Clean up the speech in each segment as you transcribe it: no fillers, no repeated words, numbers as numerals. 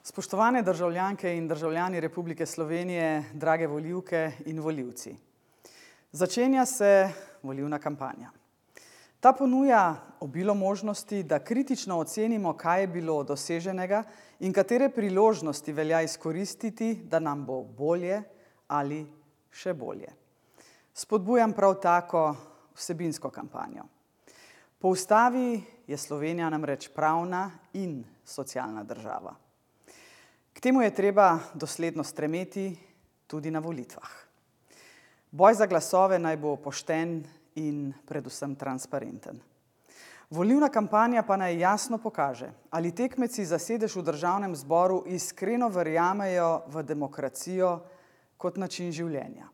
Spoštovane državljanke in državljani Republike Slovenije, drage volivke in volivci. Začenja se volilna kampanja. Ta ponuja obilo možnosti, da kritično ocenimo, kaj je bilo doseženega in katere priložnosti velja izkoristiti, da nam bo bolje ali še bolje. Spodbujam prav tako vsebinsko kampanjo. Po ustavi je Slovenija namreč pravna in socialna država. K temu je treba dosledno stremeti tudi na volitvah. Boj za glasove naj bo pošten in predvsem transparenten. Volilna kampanja pa naj jasno pokaže, ali tekmeci za sedež v Državnem zboru iskreno verjamejo v demokracijo kot način življenja.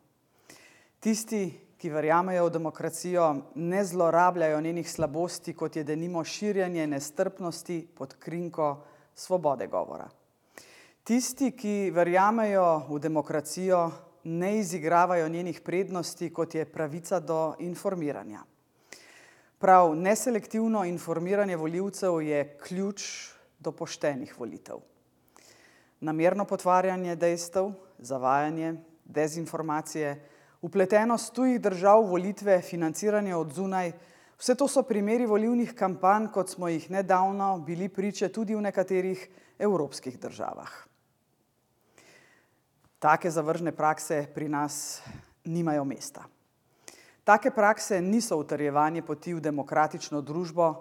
Tisti, ki verjamejo v demokracijo, ne zlorabljajo njenih slabosti, kot je denimo širjenje nestrpnosti pod krinko svobode govora. Tisti, ki verjamejo v demokracijo, ne izigravajo njenih prednosti, kot je pravica do informiranja. Prav neselektivno informiranje volivcev je ključ do poštenih volitev. Namerno potvarjanje dejstev, zavajanje, dezinformacije, vpletenost tujih držav v volitve, financiranje od zunaj, vse to so primeri volilnih kampanj, kot smo jih nedavno bili priče tudi v nekaterih evropskih državah. Take zavržne prakse pri nas nimajo mesta. Take prakse niso utrjevanje poti v demokratično družbo,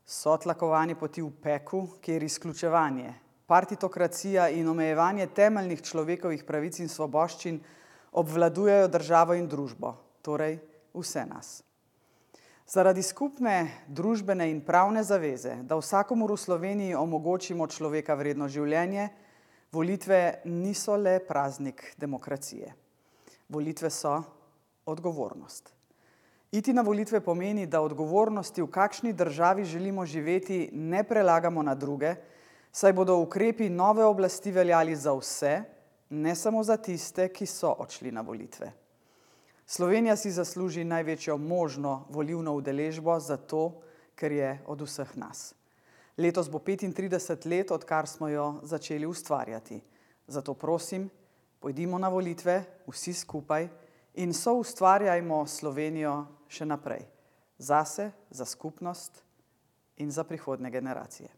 so tlakovanje poti v peku, kjer izključevanje, partitokracija in omejevanje temeljnih človekovih pravic in svoboščin obvladujejo državo in družbo, torej vse nas. Zaradi skupne družbene in pravne zaveze, da vsakomur v Sloveniji omogočimo človeka vredno življenje, volitve niso le praznik demokracije. Volitve so odgovornost. Iti na volitve pomeni, da odgovornosti, v kakšni državi želimo živeti, ne prelagamo na druge, saj bodo ukrepi nove oblasti veljali za vse, ne samo za tiste, ki so odšli na volitve. Slovenija si zasluži največjo možno volilno udeležbo zato, ker je od vseh nas. Letos bo 35 let, odkar smo jo začeli ustvarjati. Zato prosim, pojdimo na volitve, vsi skupaj, in soustvarjajmo Slovenijo še naprej. Zase, za skupnost in za prihodnje generacije.